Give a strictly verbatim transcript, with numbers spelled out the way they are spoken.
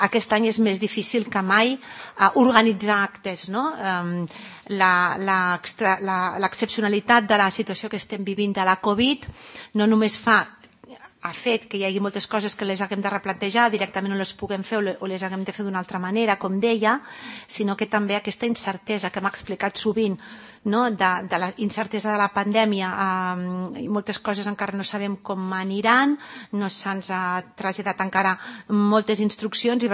aquest any és més difícil que mai organitzar actes, no? L'excepcionalitat de la situació que estem vivint de la Covid no només fa ha fet que hi hagi moltes coses que les haguem de replantejar, directament no les puguem fer o les haguem de fer d'una altra manera, com deia, sinó que també aquesta incertesa que m'ha explicat sovint, de la incertesa de la pandèmia, moltes coses encara no sabem com aniran, no se'ns ha traslladat encara moltes instruccions i